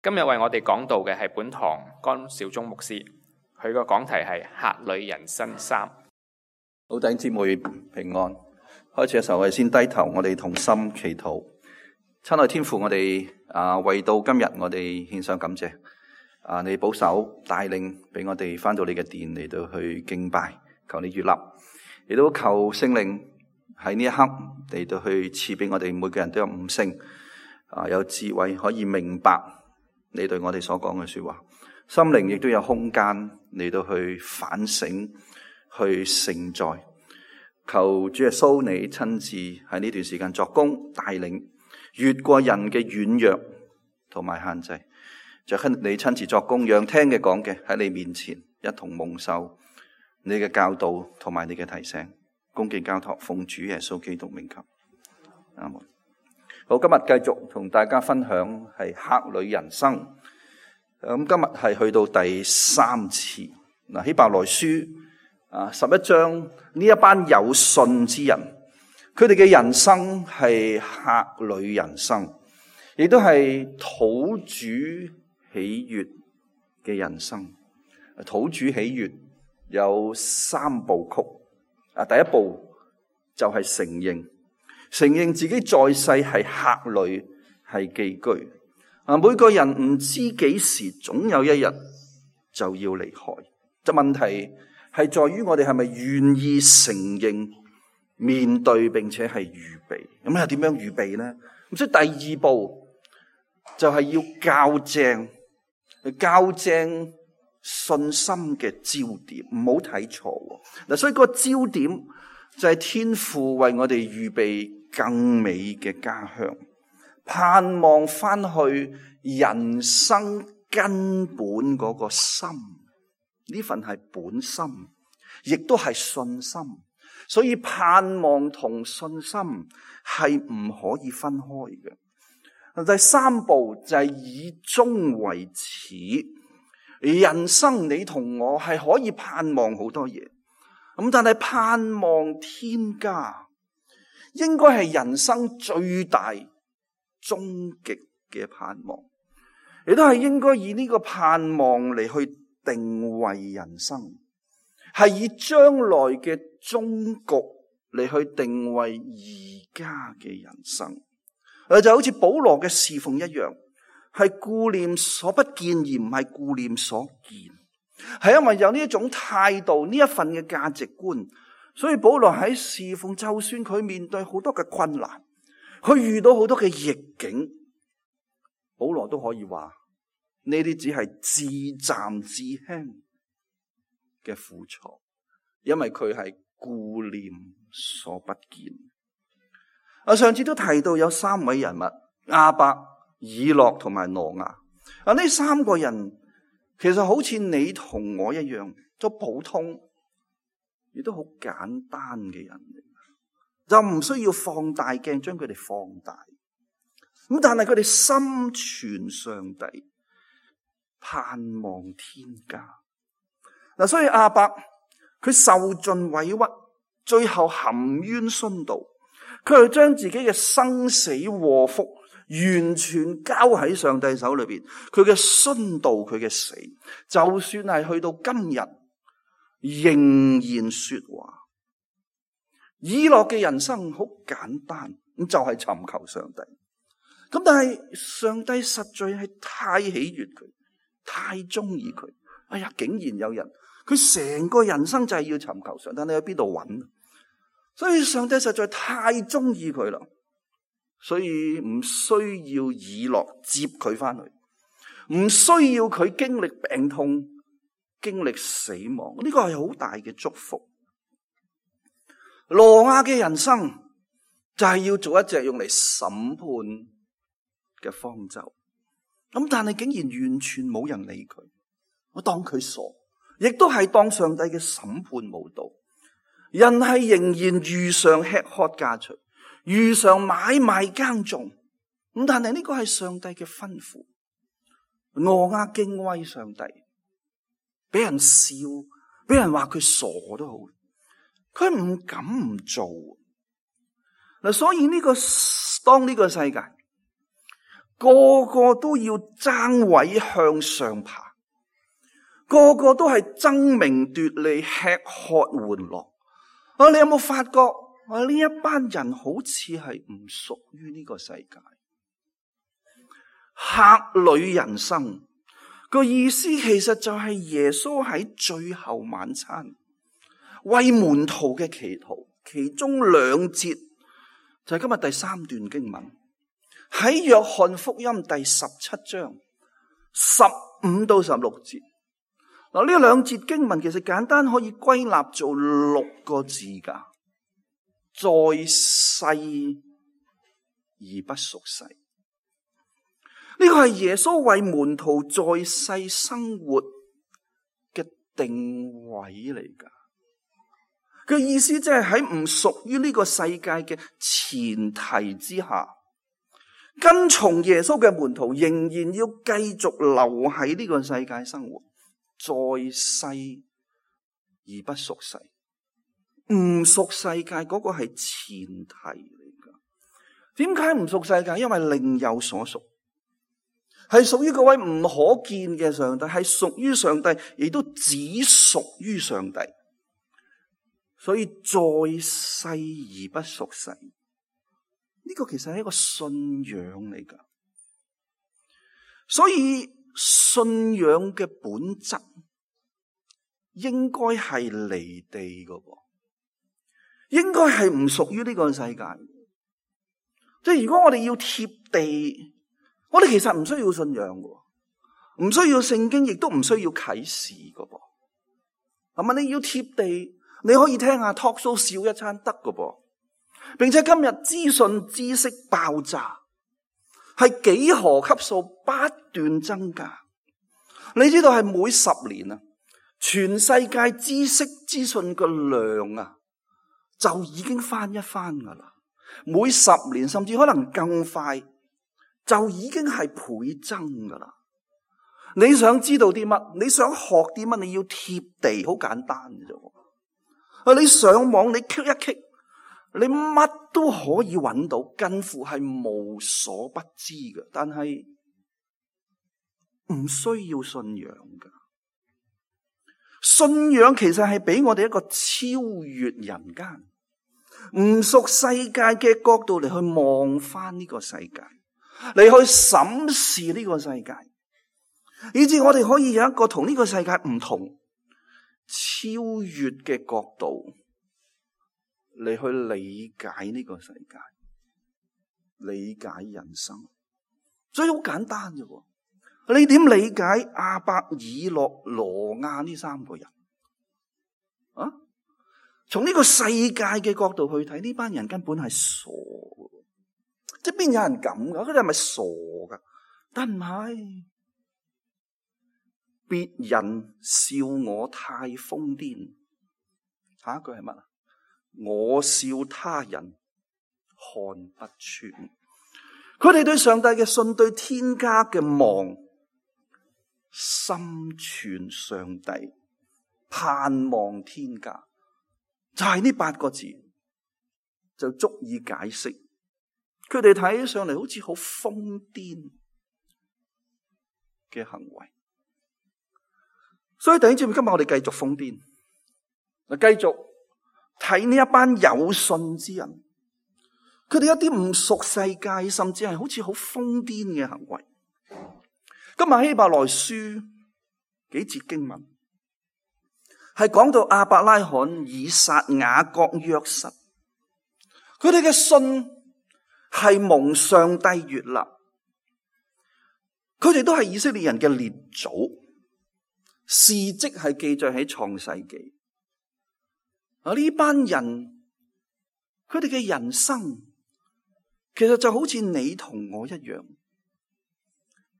今日為我哋講道嘅係本堂江小忠牧師，佢個講題係客旅人生3。好，弟兄姊妹平安。開始嘅時候，我哋先低頭，我哋同心祈禱。親愛天父，我哋為到今日，我哋獻上感謝。你保守帶領，俾我哋翻到你嘅殿嚟到去敬拜，求你悅納，亦都求聖靈喺呢一刻嚟到去賜俾我哋每個人都有悟性，有智慧可以明白你對我哋所講嘅說話，心靈亦都有空間嚟到去反省，去承載。求主耶穌你親自喺呢段時間作工帶領，越過人嘅軟弱同埋限制，就你親自作工，讓聽嘅講嘅喺你面前一同蒙受你嘅教導同埋你嘅提醒。恭敬交託，奉主耶穌基督名求，阿門。好，今日繼續同大家分享係客旅人生。咁今日係去到第3次。希伯來書11章，呢一班有信之人，佢哋嘅人生係客旅人生，亦都係討主喜悅嘅人生。討主喜悅有3部曲。第一步就係承認自己在世係客旅，係寄居。每個人唔知幾時，總有一日就要離開。問題係在於我哋係咪願意承認、面對並且係預備。咁係點樣預備呢？咁所以第2步就係要校正信心嘅焦點，唔好睇錯。嗱，所以個焦點就係天父為我哋預備更美嘅家鄉，盼望翻去人生根本嗰個心，呢份係本心，亦都係信心。所以盼望同信心係唔可以分開嘅。第3步就係以終為始。人生你同我係可以盼望好多嘢，但係盼望天家應該係人生最大終極嘅盼望，亦都係應該以呢個盼望嚟去定位人生，係以將來嘅終局嚟去定位而家嘅人生。就好似保羅嘅侍奉一樣，係顧念所不見而唔係顧念所見，係因為有呢一種態度，呢一份嘅價值觀，所以保羅喺侍奉，就算佢面對好多嘅困難，佢遇到好多嘅逆境，保羅都可以話呢啲只係至暫至輕嘅苦楚，因為佢係顧念所不見。上次都提到有3位人物，亞伯、以諾同埋挪亞。呢3個人其實好似你同我一樣，都普通，亦都好簡單嘅人，就唔需要放大鏡將佢哋放大。咁但係佢哋心存上帝，盼望天家。所以亞伯佢受盡委屈，最後含冤殉道，佢係將自己嘅生死禍福完全交喺上帝手裏邊。佢嘅殉道，佢嘅死，就算係去到今日仍然說話。以諾嘅人生好簡單，咁就係尋求上帝。咁但係上帝實在係太喜悅佢，太中意佢。竟然有人佢成個人生就係要尋求上帝，你喺邊度揾？所以上帝實在太中意佢啦，所以唔需要以諾接佢翻去，唔需要佢經歷病痛、經歷死亡，呢個係好大嘅祝福。挪亞嘅人生就係要做一隻用嚟審判嘅方舟，但係竟然完全冇人理佢，我當佢傻，亦都係當上帝嘅審判無道。人係仍然如常吃喝嫁娶，如常買賣耕種，但係呢個係上帝嘅吩咐。挪亞敬畏上帝，俾人笑，俾人話佢傻都好，佢唔敢唔做。所以當呢個世界個個都要爭位向上爬，個個都係爭名奪利、吃喝玩樂。你有冇發覺呢一班人好似係唔屬於呢個世界？客旅人生個意思其實就係耶穌喺最後晚餐為門徒嘅祈禱，其中2節就係今日第3段經文，喺約翰福音第17章15到16節。嗱，呢2節經文其實簡單可以歸納做6個字噶，在世而不屬世。呢個係耶穌為門徒在世生活嘅定位嚟噶。佢意思即係喺唔屬於呢個世界嘅前提之下，跟從耶穌嘅門徒仍然要繼續留喺呢個世界生活，在世而不屬世。唔屬世界嗰個係前提嚟噶。點解唔屬世界？因為另有所屬，係屬於嗰位唔可見嘅上帝，係屬於上帝，亦都只屬於上帝。所以在世而不屬世，呢個其實係一個信仰嚟噶。所以信仰嘅本質應該係離地噶噃，應該係唔屬於呢個世界。即係如果我哋要貼地，我哋其實唔需要信仰噶，唔需要聖經，亦都唔需要啟示噶噃。係咪？你要貼地，你可以聽下 talk show 笑一餐得噶噃。並且今日資訊知識爆炸，係幾何級數不斷增加。你知道係每10年啊，全世界知識資訊嘅量啊，就已經翻一番噶啦。每10年甚至可能更快，就已經係倍增噶啦。你想知道啲乜？你想學啲乜？你要貼地，好簡單嘅啫。你上網你 click 一 click，你乜都可以揾到，近乎係無所不知嘅。但係唔需要信仰噶。信仰其實係俾我哋一個超越人間、唔屬世界嘅角度嚟去望翻呢個世界，嚟去審視呢個世界，以致我哋可以有一個同呢個世界唔同、超越嘅角度嚟去理解呢個世界，理解人生。所以好簡單嘅喎。你點理解亞伯、以諾、挪亞呢3個人啊？從呢個世界嘅角度去睇，呢班人根本係傻嘅，即係邊有人咁噶？佢哋係咪傻噶？但唔係，別人笑我太瘋癲。下一句係乜啊？我笑他人看不穿。佢哋對上帝嘅信，對天家嘅望，心存上帝，盼望天家，就係呢8個字就足以解釋佢哋睇起上嚟好似好瘋癲嘅行為。所以弟兄姊妹，今日我哋繼續瘋癲，繼續睇呢一班有信之人，佢哋一啲唔屬世界，甚至係好似好瘋癲嘅行為。今日希伯來書幾節經文係講到亞伯拉罕、以撒、雅各、約瑟，佢哋嘅信係蒙上帝悅納，佢哋都係以色列人嘅列祖，事跡係記載喺創世記。呢班人佢哋嘅人生其實就好似你同我一樣，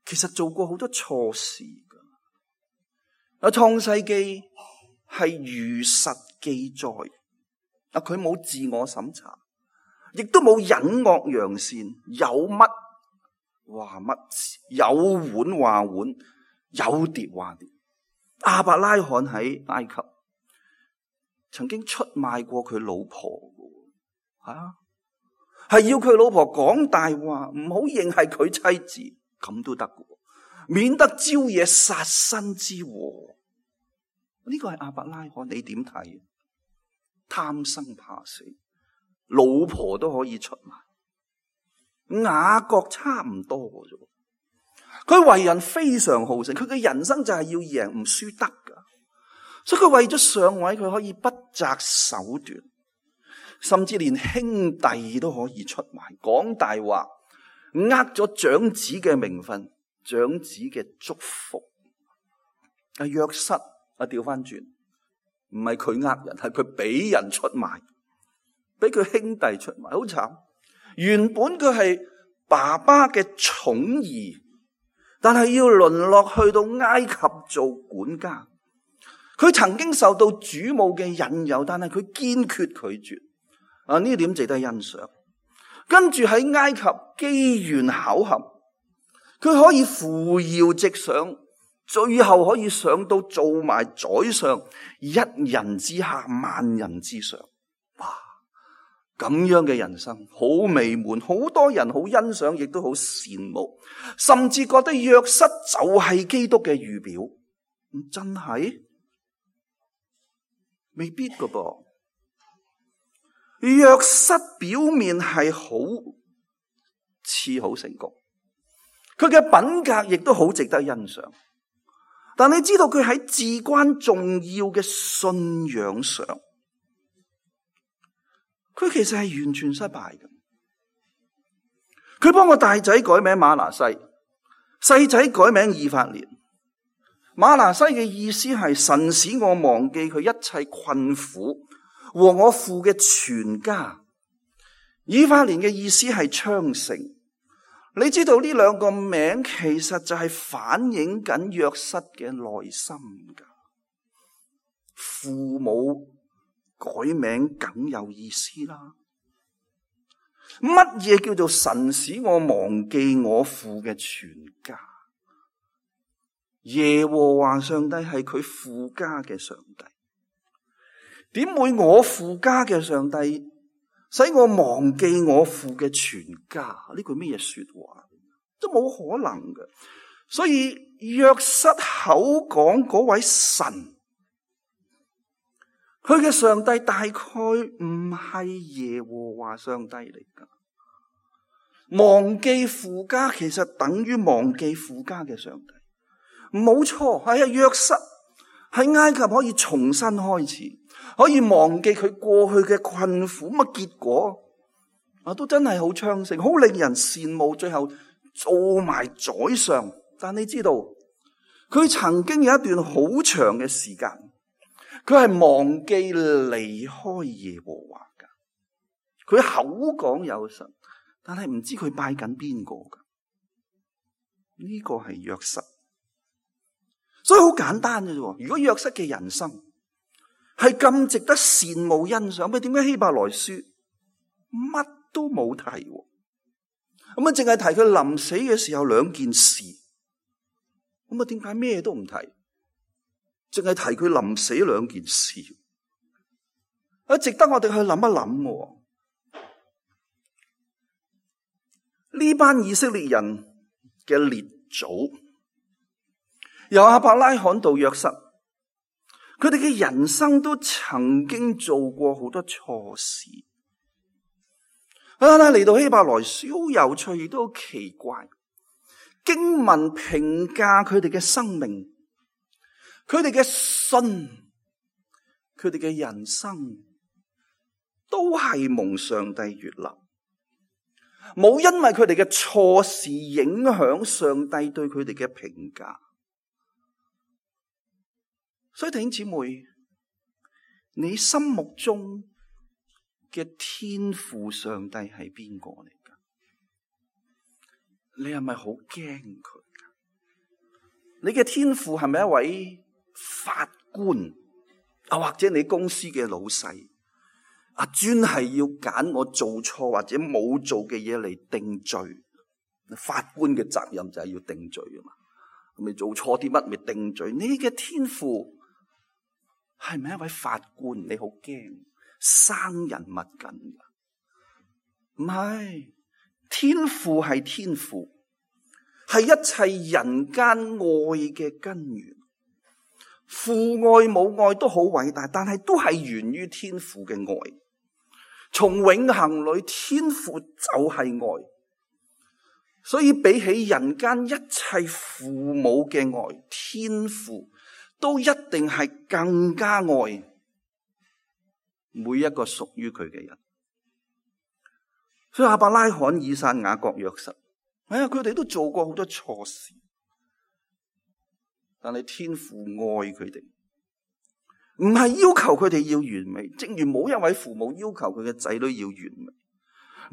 其實做過好多錯事噶。創世記係如實記載，佢冇自我審查，亦都冇隱惡揚善，有乜話乜，有碗話碗，有碟話碟。亞伯拉罕喺埃及曾經出賣過佢老婆，係要佢老婆講大話，唔好認係佢妻子，咁都得嘅，免得招惹殺身之禍。呢個係亞伯拉罕，你點睇？貪生怕死，老婆都可以出賣。雅各差唔多嘅啫，佢為人非常好勝，佢嘅人生就係要贏唔輸得噶，所以佢為咗上位，佢可以不擇手段，甚至連兄弟都可以出賣，講大話，咗長子嘅名分，長子嘅祝福。約瑟調翻轉，唔係佢人，係佢俾人出賣，俾佢兄弟出賣，好慘。原本佢係爸爸嘅寵兒，但係要淪落去到埃及做管家。佢曾經受到主母嘅引誘，但係佢堅決拒絕。呢點值得欣賞。跟住喺埃及機緣巧合，佢可以扶搖直上，最後可以上到做埋宰相，一人之下，萬人之上。哇！咁樣嘅人生好美滿，好多人好欣賞，亦都好羨慕，甚至覺得約瑟就係基督嘅預表。真係未必噶噃。約瑟表面係好似好成功，佢嘅品格亦都好值得欣賞，但你知道佢喺至關重要嘅信仰上，佢其實係完全失敗嘅。佢幫個大仔改名馬拿西，細仔改名以法蓮。馬拿西嘅意思係神使我忘記佢一切困苦和我父嘅全家。以法蓮嘅意思係昌盛。你知道呢兩個名其實就係反映緊約瑟嘅內心噶。父母改名梗有意思啦。乜嘢叫做神使我忘記我父嘅全家？耶和華上帝係佢父家嘅上帝，點會我父家嘅上帝使我忘記我父嘅全家？呢句咩嘢說話？都冇可能嘅。所以約瑟口講嗰位神，佢嘅上帝大概唔係耶和華上帝嚟噶。忘記父家其實等於忘記父家嘅上帝。冇錯，係啊，約瑟喺埃及可以重新開始，可以忘記佢過去嘅困苦，咁結果都真係好昌盛，好令人羨慕，最後做埋宰相。但你知道，佢曾經有一段好長嘅時間，佢係忘記離開耶和華噶。佢口講有神，但係唔知佢拜緊邊個噶。呢個係約瑟。所以好簡單嘅啫。如果約瑟嘅人生係咁值得羨慕欣賞，咁點解希伯來書乜都冇提？咁淨係提佢臨死嘅時候兩件事。咁點解咩都唔提？淨係提佢臨死兩件事，值得我哋去諗一諗。呢班以色列人嘅列祖，由亞伯拉罕到約瑟，佢哋嘅人生都曾經做過好多錯事。嚟到希伯來書好有趣，亦都好奇怪。經文評價佢哋嘅生命，佢哋嘅信，佢哋嘅人生，都係蒙上帝悅納，冇因為佢哋嘅錯事影響上帝對佢哋嘅評價。所以弟兄姊妹，你心目中嘅天父上帝係邊個嚟噶？你係咪好驚佢？你嘅天父係咪一位法官或者你公司嘅老細專係要揀我做錯或者冇做嘅嘢嚟定罪？法官嘅責任就係要定罪啊嘛。咁你做錯啲乜咪定罪？你嘅天父係咪一位法官？你好驚生人勿近噶？唔係，天父係天父，係一切人間愛嘅根源。父愛母愛都好偉大，但係都係源於天父嘅愛。從永恆裏，天父就係愛，所以比起人間一切父母嘅愛，天父都一定係更加愛每一個屬於佢嘅人。所以亞伯拉罕、以撒、雅各、約瑟，佢哋都做過好多錯事，但係天父愛佢哋，唔係要求佢哋要完美，正如冇一位父母要求佢嘅仔女要完美，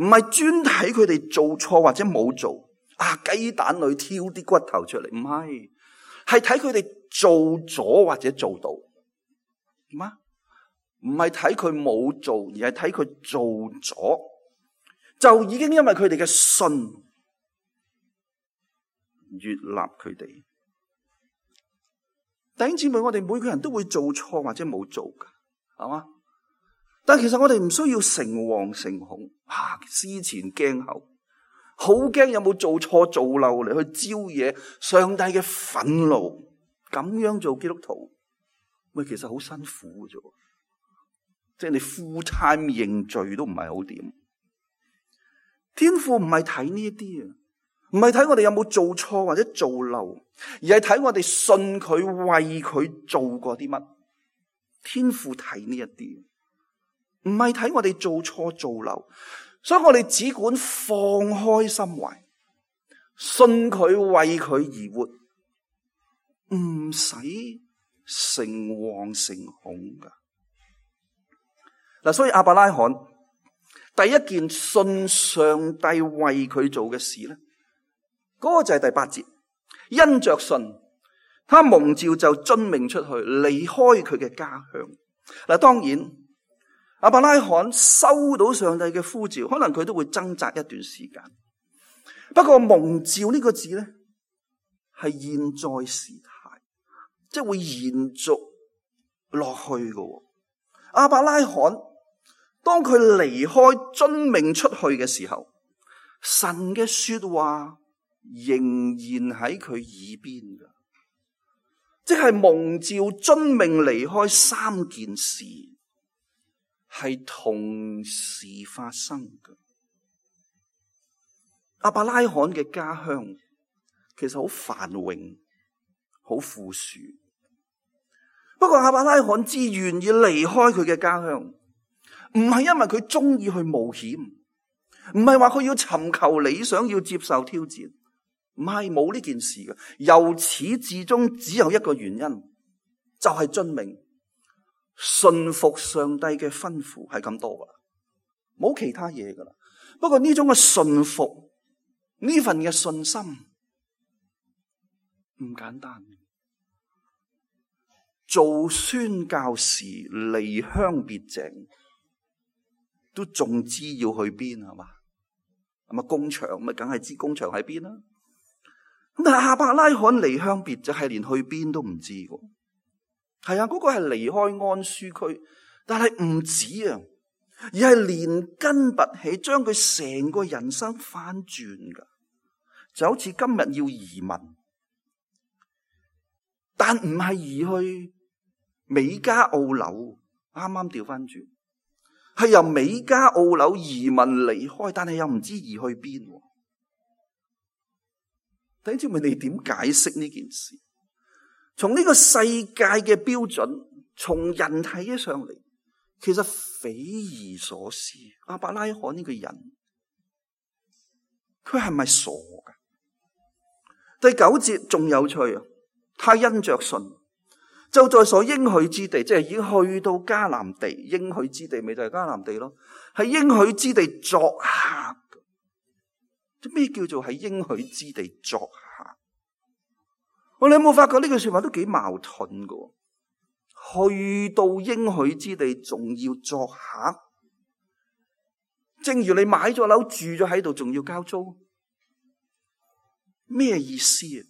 唔係專睇佢哋做錯或者冇做，雞蛋裏挑啲骨頭出嚟，唔係，係睇佢哋做咗或者做到，唔係睇佢冇做，而係睇佢做咗，就已經因為佢哋嘅信悅納佢哋。弟兄姊妹，我哋每個人都會做錯或者冇做噶，係嘛？但其實我哋唔需要誠惶誠恐，思前驚後，好驚有冇做錯做漏嚟去招惹上帝嘅憤怒。咁樣做基督徒，其實好辛苦嘅啫。即係你 full time 認罪都唔係好掂。天父唔係睇呢一啲啊，唔係睇我哋有冇做錯或者做漏，而係睇我哋信佢為佢做過啲乜。天父睇呢一啲，唔係睇我哋做錯做漏，所以我哋只管放開心懷，信佢為佢而活，唔使誠惶誠恐噶。嗱，所以亞伯拉罕第一件信上帝為佢做嘅事咧，嗰個就係第8節，因着信，他蒙召就遵命出去，離開佢嘅家鄉。嗱，當然亞伯拉罕收到上帝嘅呼召，可能佢都會掙扎一段時間。不過蒙召呢個字咧，係現在時態，即係會延續落去嘅。亞伯拉罕當佢離開遵命出去嘅時候，神嘅說話仍然喺佢耳邊噶，即係蒙召遵命離開3件事係同時發生嘅。亞伯拉罕嘅家鄉其實好繁榮，好富庶。不過亞伯拉罕之願意離開佢嘅家鄉，唔係因為佢中意去冒險，唔係話佢要尋求理想，要接受挑戰，唔係，冇呢件事嘅。由始至終只有一個原因，就係遵命，信服上帝嘅吩咐，係咁多噶啦，冇其他嘢噶啦。不過呢種嘅信服，呢份嘅信心唔簡單。做宣教士離鄉別井，都仲知要去邊係嘛？係咪工場？咪梗係知工場喺邊啦。咁但係亞伯拉罕離鄉別井係連去邊都唔知嘅。係啊，嗰個係離開安舒區，但係唔止啊，而係連根拔起，將佢成個人生翻轉噶。就好似今日要移民，但唔係移去美加澳紐，啱啱調翻轉，係由美加澳紐移民離開，但係又唔知移去邊。弟兄姊妹，你點解釋呢件事？從呢個世界嘅標準，從人睇起上嚟，其實匪夷所思。亞伯拉罕呢個人，佢係咪傻噶？第9節仲有趣啊！他因着信，就在所應許之地，即係已經去到迦南地。應許之地咪就係迦南地咯，係應許之地作客。咩叫做喺應許之地作客？我哋有冇發覺呢句說話都幾矛盾噶？去到應許之地仲要作客，正如你買咗樓住咗喺度，仲要交租，咩意思啊？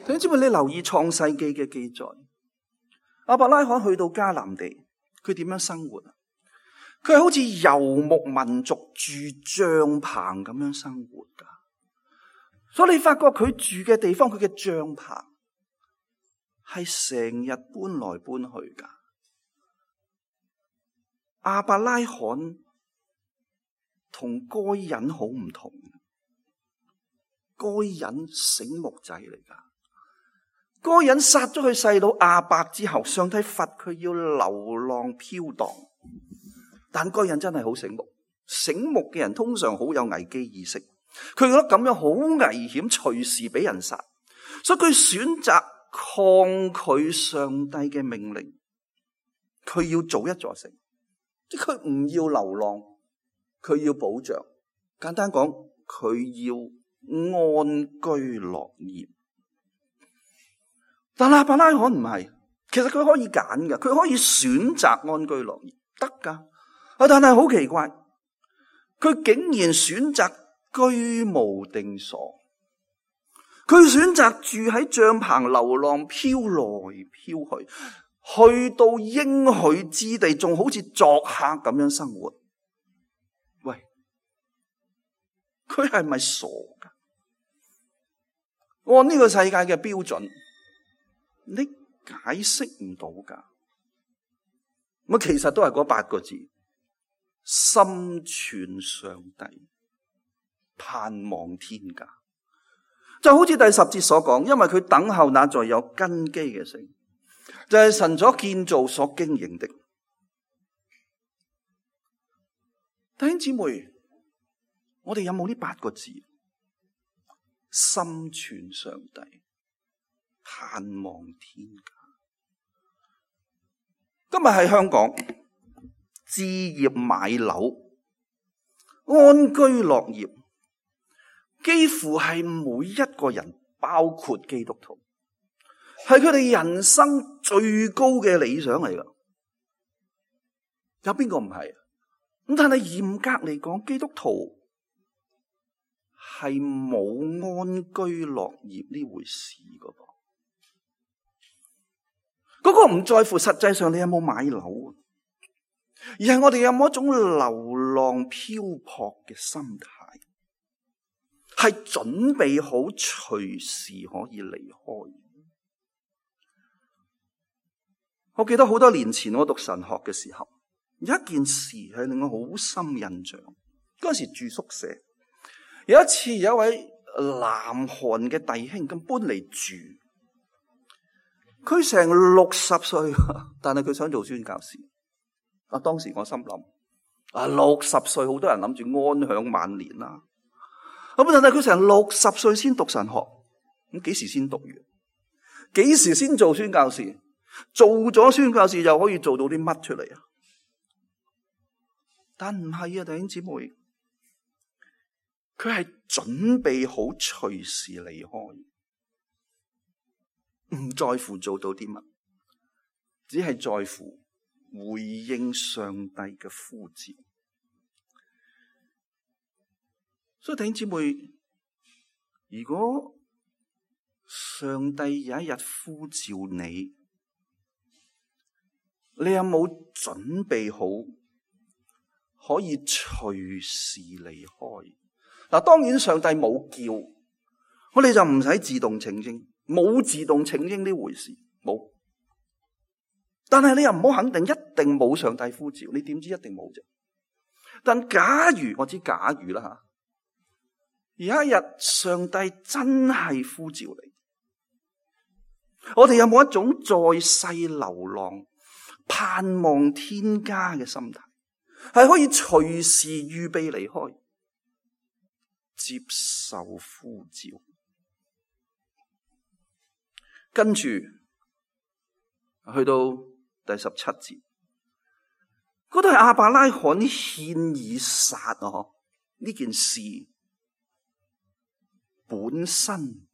你知唔知？你留意創世記嘅記載，亞伯拉罕去到迦南地，佢點樣生活啊？佢係好似游牧民族住帳篷咁樣生活噶。所以你發覺佢住嘅地方，佢嘅帳篷係成日搬來搬去噶。亞伯拉罕同該隱好唔同，該隱醒目仔嚟噶。該隱殺咗佢細佬亞伯之後，上帝罰佢要流浪飄蕩，但該隱真係好醒目。醒目嘅人通常好有危機意識，佢覺得咁樣好危險，隨時俾人殺，所以佢選擇抗拒上帝嘅命令，佢要做一座城。即佢唔要流浪，佢要保障。簡單講，佢要安居樂業。但亞伯拉罕唔係，其實佢可以揀噶，佢可以選擇安居樂業，得噶。但係好奇怪，佢竟然選擇居無定所，佢選擇住喺帳篷流浪，飄來飄去。去到應許之地，仲好似作客咁樣生活。喂，佢係咪傻噶？按呢個世界嘅標準，你解釋唔到噶。咁其實都係嗰8個字：心存上帝，盼望天家。就好似第10節所講，因為佢等候那在有根基嘅城，就係神所建造、所經營的。弟兄姊妹，我哋有冇呢8個字？心存上帝，盼望天家。今日喺香港置業買樓、安居樂業，幾乎係每一個人，包括基督徒，係佢哋人生最高嘅理想嚟噶。有邊個唔係？咁但係嚴格嚟講，基督徒係冇安居樂業呢回事噶噃。嗰個唔在乎實際上你有冇買樓，而係我哋有冇一種流浪漂泊嘅心態，係準備好隨時可以離開。我記得好多年前我讀神學嘅時候，有一件事係令我好深印象。嗰時住宿舍，有一次有一位南韓嘅弟兄咁搬嚟住，佢成60歲，但係佢想做宣教士。當時我心諗，60歲好多人諗住安享晚年啦。咁但係佢成60歲先讀神學，咁幾時先讀完？幾時先做宣教士？做咗宣教士又可以做到啲乜出嚟啊？但唔係啊，弟兄姊妹，佢係準備好隨時離開，唔在乎做到啲乜，只係在乎回應上帝嘅呼召。所以弟兄姊妹，如果上帝有一日呼召你，你有冇準備好可以隨時離開？嗱，當然上帝冇叫，我哋就唔使自動請纓，冇自動請纓呢回事，冇。但係你又唔好肯定一定冇上帝呼召，你點知一定冇啫？但假如我知假如啦吓，有一日上帝真係呼召你，我哋有冇一種在世流浪、盼望天家嘅心態，係可以隨時預備離開，接受呼召？跟住去到第17節，嗰度係亞伯拉罕獻以撒啊！呢件事本身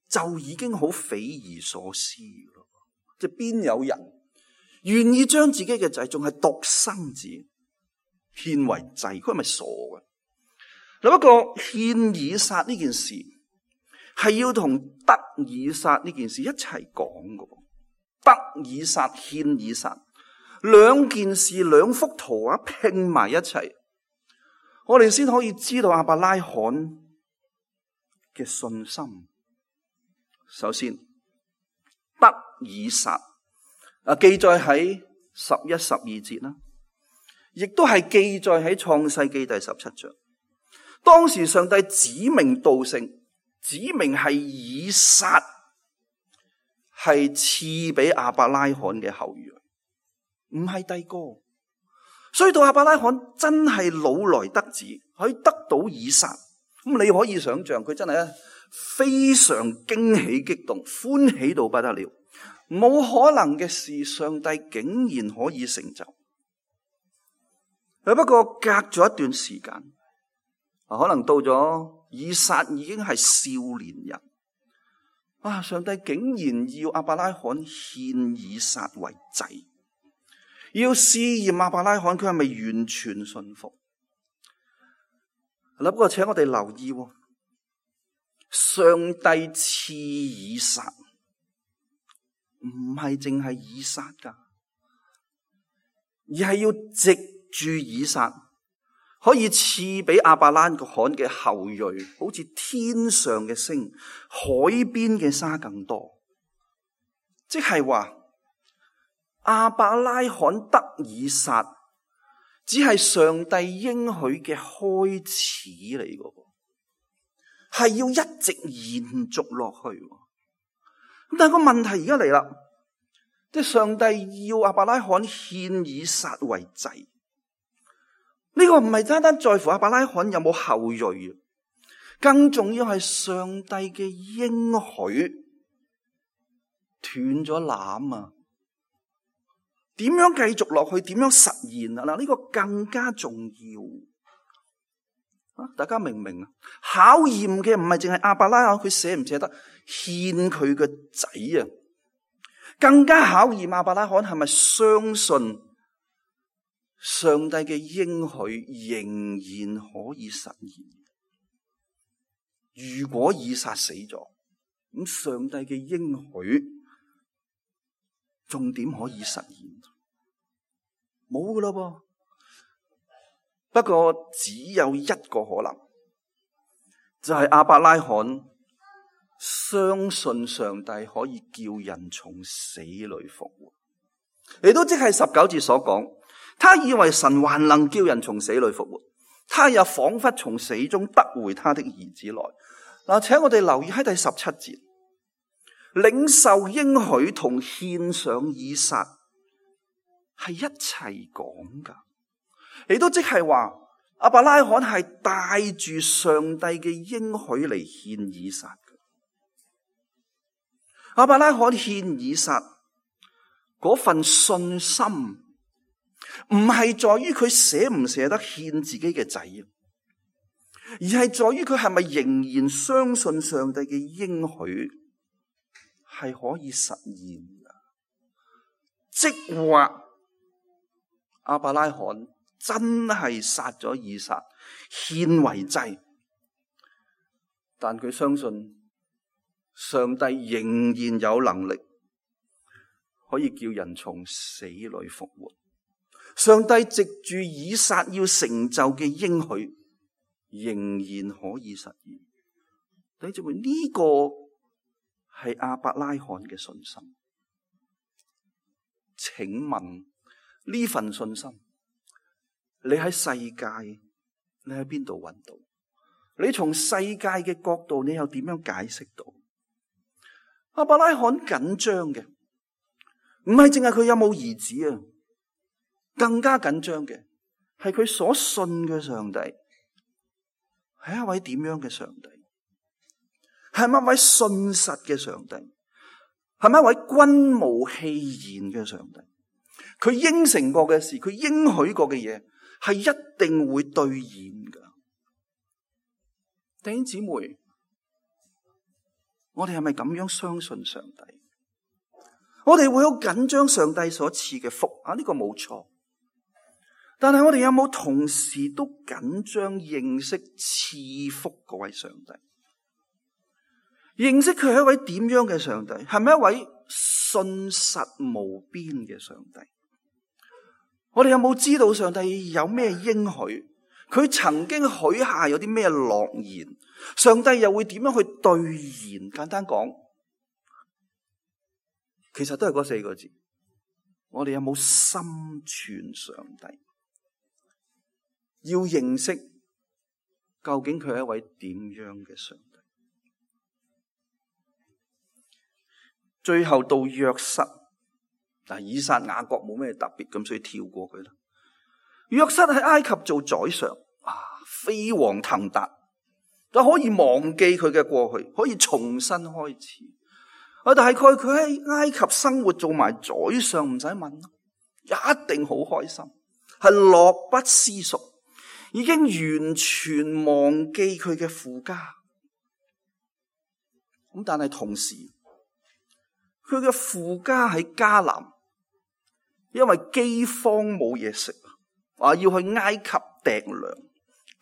就已經好匪夷所思咯，即係邊有人願意將自己嘅仔仲係獨生子獻為祭？佢係咪傻嘅？嗱，不過獻以撒呢件事係要同得以撒呢件事一齊講嘅。得以撒獻以撒，兩件事兩幅圖畫拼埋一齊，我哋先可以知道亞伯拉罕嘅信心。首先，得以撒記載喺11、12節啦，亦都係記載喺創世記第17章。當時上帝指名道姓，指明係以撒係賜俾亞伯拉罕嘅後裔，唔係第個。所以到亞伯拉罕真係老來得子，可以得到以撒，咁你可以想象佢真係非常驚喜激動，歡喜到不得了。冇可能嘅事，上帝竟然可以成就。不過隔咗一段時間，可能到咗以撒已經係少年人，上帝竟然要亞伯拉罕獻以撒為祭，要試驗亞伯拉罕佢係咪完全信服。不過請我哋留意，上帝賜以撒唔係淨係以撒噶，而係要藉住以撒可以賜俾亞伯拉罕嘅後裔，好似天上嘅星、海邊嘅沙更多。即係話亞伯拉罕得以撒，只係上帝應許嘅開始嚟嘅，係要一直延續落去。但係個問題而家嚟啦，即係上帝要亞伯拉罕獻以撒為祭，呢個唔係單單在乎亞伯拉罕有冇後裔，更重要係上帝嘅應許斷咗纜啊！點樣繼續落去？點樣實現啊？嗱，呢個更加重要。大家明唔明啊？考驗嘅唔係淨係亞伯拉罕佢捨唔捨得獻佢個仔啊，更加考驗亞伯拉罕係咪相信上帝嘅應許仍然可以實現。如果以撒死咗，咁上帝嘅應許仲點可以實現？冇噶啦噃。不過只有一個可能，就係亞伯拉罕相信上帝可以叫人從死裏復活。亦都即係19節所講，他以為神還能叫人從死裏復活，他也仿佛從死中得回他的兒子來。嗱，請我哋留意喺第17節，領受應許同獻上以撒係一齊講噶。亦都即係話，亞伯拉罕係帶住上帝嘅應許嚟獻以撒嘅。亞伯拉罕獻以撒嗰份信心，唔係在於佢捨唔捨得獻自己嘅仔，而係在於佢係咪仍然相信上帝嘅應許係可以實現嘅。即話亞伯拉罕真係殺咗以撒獻為祭，但佢相信上帝仍然有能力可以叫人從死裏復活。上帝藉住以撒要成就嘅應許仍然可以實現。弟兄姊妹，呢個係亞伯拉罕嘅信心。請問呢份信心，你喺世界，你喺邊度揾到？你從世界嘅角度，你又點樣解釋到？亞伯拉罕緊張嘅，唔係淨係佢有冇兒子啊，更加緊張嘅係佢所信嘅上帝係一位點樣嘅上帝？係咪一位信實嘅上帝？係咪一位君無戲言嘅上帝？佢應承過嘅事，佢應許過嘅嘢，係一定會兌現噶。弟兄姊妹，我哋係咪咁樣相信上帝？我哋會好緊張上帝所賜嘅福啊，呢個冇錯。但係我哋有冇同時都緊張認識賜福嗰位上帝？認識佢係一位點樣嘅上帝？係咪一位信實無邊嘅上帝？我哋有冇知道上帝有咩應許？佢曾經許下有啲咩諾言？上帝又會點樣去兌現？簡單講，其實都係嗰4個字。我哋有冇心存上帝？要認識究竟佢係一位點樣嘅上帝？最後到約瑟，但以撒雅各冇咩特別，咁所以跳過佢啦。約瑟喺埃及做宰相，飛黃騰達，就可以忘記佢嘅過去，可以重新開始。大概佢喺埃及生活做埋宰相，唔使問，一定好開心，係樂不思蜀，已經完全忘記佢嘅父家。咁但係同時，佢嘅父家喺迦南，因為饑荒冇嘢食，要去埃及糴糧，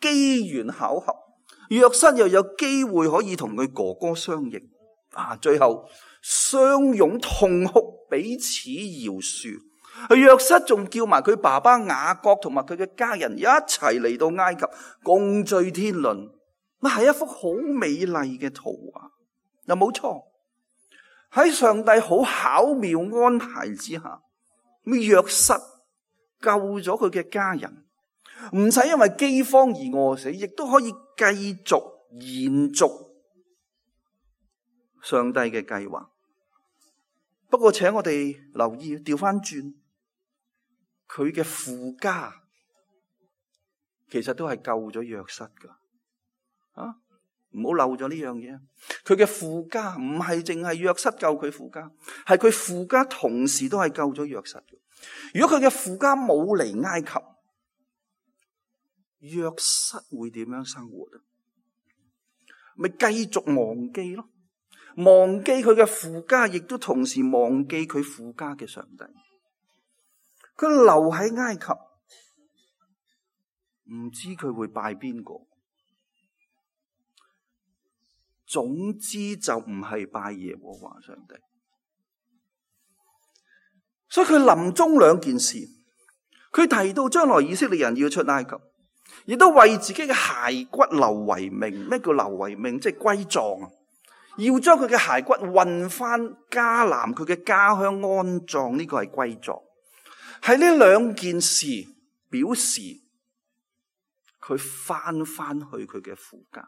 機緣巧合，約瑟又有機會可以同佢哥哥相認，最後相擁痛哭，彼此饒恕。約瑟仲叫埋佢爸爸雅各同埋佢嘅家人一齊嚟到埃及，共聚天倫，係一幅好美麗嘅圖畫。又冇錯，喺上帝好巧妙安排之下，約瑟救咗佢嘅家人，唔使因為饑荒而餓死，亦都可以繼續延續上帝嘅計劃。不過請我哋留意，調翻轉，佢嘅父家其實都係救咗約瑟噶，唔好漏咗呢樣嘢。佢嘅父家唔係淨係約瑟救佢父家，係佢父家同時都係救咗約瑟嘅。如果佢嘅父家冇嚟埃及，約瑟會點樣生活？咪繼續忘記咯，忘記佢嘅父家，亦都同時忘記佢父家嘅上帝。佢留喺埃及，唔知佢會拜邊個。總之就唔係拜耶和華上帝。所以佢臨終2件事，佢提到將來以色列人要出埃及，亦都為自己嘅骸骨留遺命。咩叫留遺命？即係歸葬，要將佢嘅骸骨運翻迦南佢嘅家鄉安葬。呢個係歸葬。喺呢2件事表示佢翻去佢嘅父家，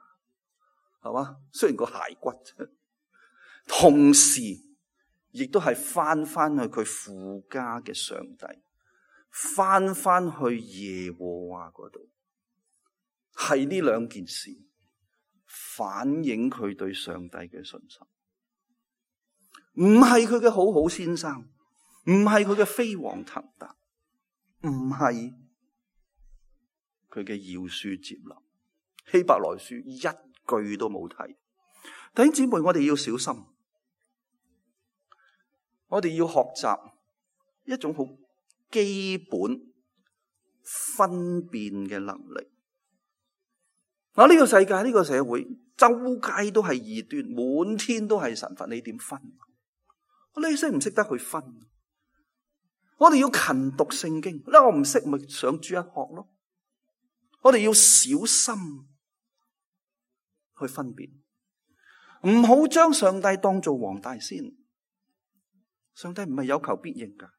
係嘛？雖然個骸骨，同時亦都係翻去佢父家嘅上帝，翻去耶和華嗰度。係呢2件事反映佢對上帝嘅信心，唔係佢嘅好好先生，唔係佢嘅飛黃騰達，唔係佢嘅饒恕接納。希伯來書一句都冇提。弟兄姊妹，我哋要小心，我哋要學習一種好基本分辨嘅能力。呢個世界，呢個社會，周街都係異端，滿天都係神佛，你點分？你識唔識得去分？我哋要勤讀聖經，我唔識咪上主日學咯。我哋要小心去分辨，唔好將上帝當做黃大仙。上帝唔係有求必應噶，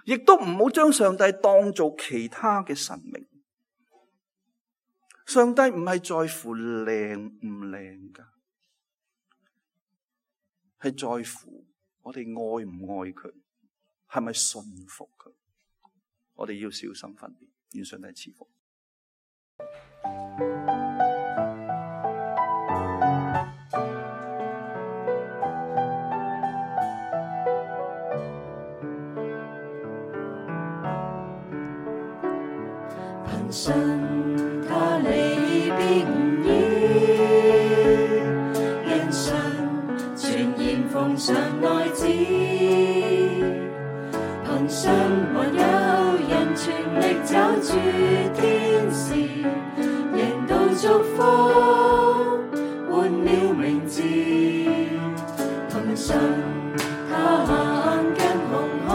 亦都唔好將上帝當做其他嘅神明。上帝唔係在乎靚唔靚噶，係在乎我哋愛唔愛佢，係咪信服佢。我哋要小心分辨，願上帝賜福。憑信他離別無依，因信全然奉上愛子，憑信還有人全力抓住天使，贏到祝福換了名字，憑信他行近紅海，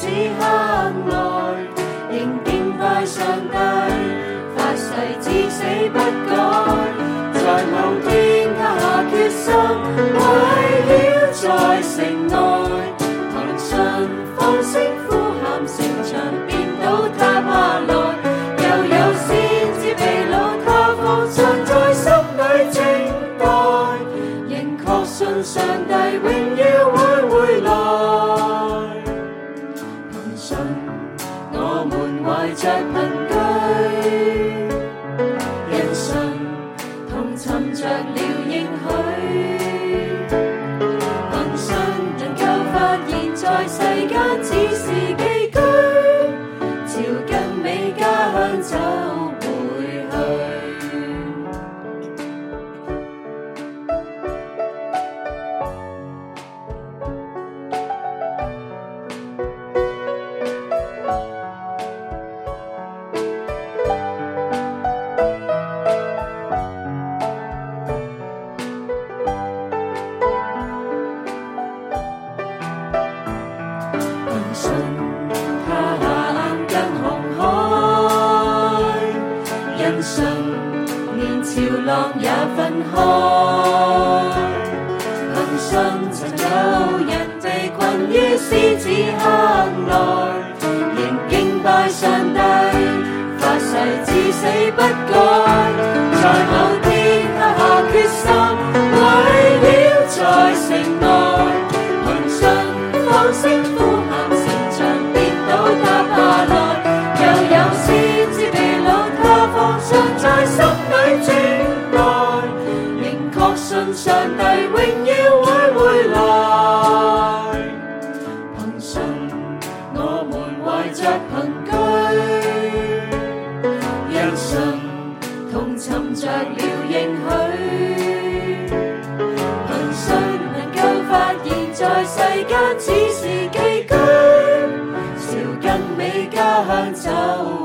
此刻來，仍敬拜上帝，發誓至死不改。在某天他下決心，圍繞在城內，憑信放聲呼喊，城牆便倒塌下來。又有先知被擄，他方尚在心裏靜待，仍確信上帝榮耀會回來。憑信我們懷着憑據，因信同尋着了應許，憑信能夠發現在世間只是寄居，朝更美家鄉走回去。信他下眼近紅海，因信連潮浪也分開。憑信曾有人被困於獅子坑內，仍敬拜上帝，發誓至死不改。在某天他下決心，圍繞在城內，憑信放聲呼喊，倒塌下來。又有先知被擄，他方尚在心裏靜待，仍確信上帝榮耀會回來。憑信我們懷着憑據，因信同尋着了應許，憑信能夠發現在世間只是寄居，更美家鄉走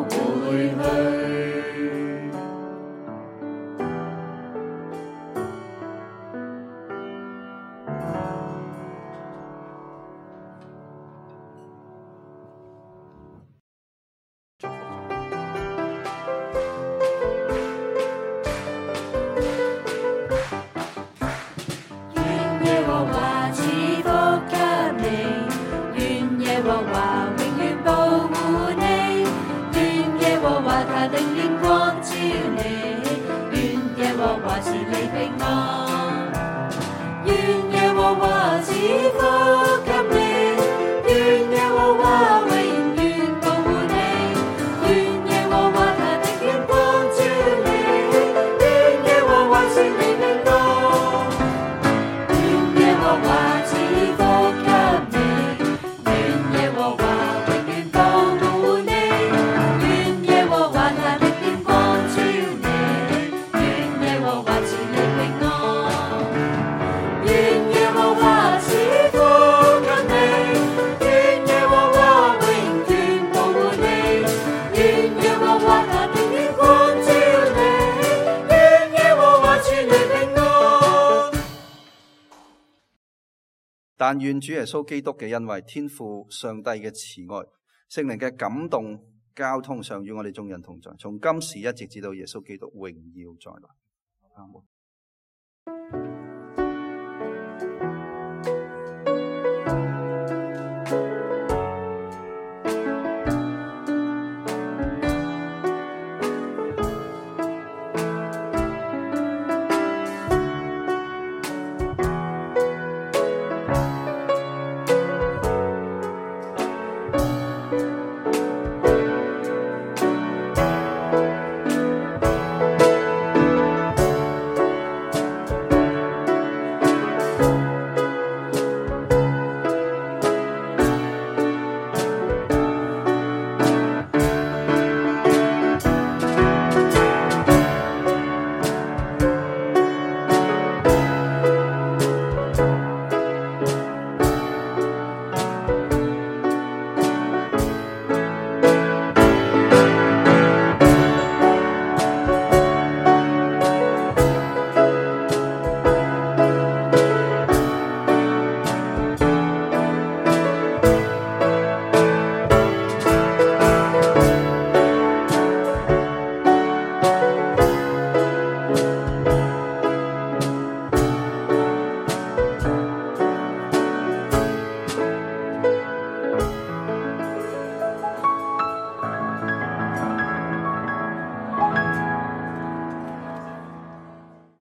回去。願耶和華賜福給你，願耶和華保護你，願耶和華他的臉光照你，願耶和華賜你平安，願耶和華賜福給你，願耶和華永遠保護你，願耶和華他的臉光照你，願耶和華賜你平安，願耶和華賜福給你，願耶和華但願主耶穌基督嘅恩惠、天父上帝嘅慈愛、聖靈嘅感動交通上與我哋眾人同在，從今時一直至到耶穌基督榮耀再來。阿門。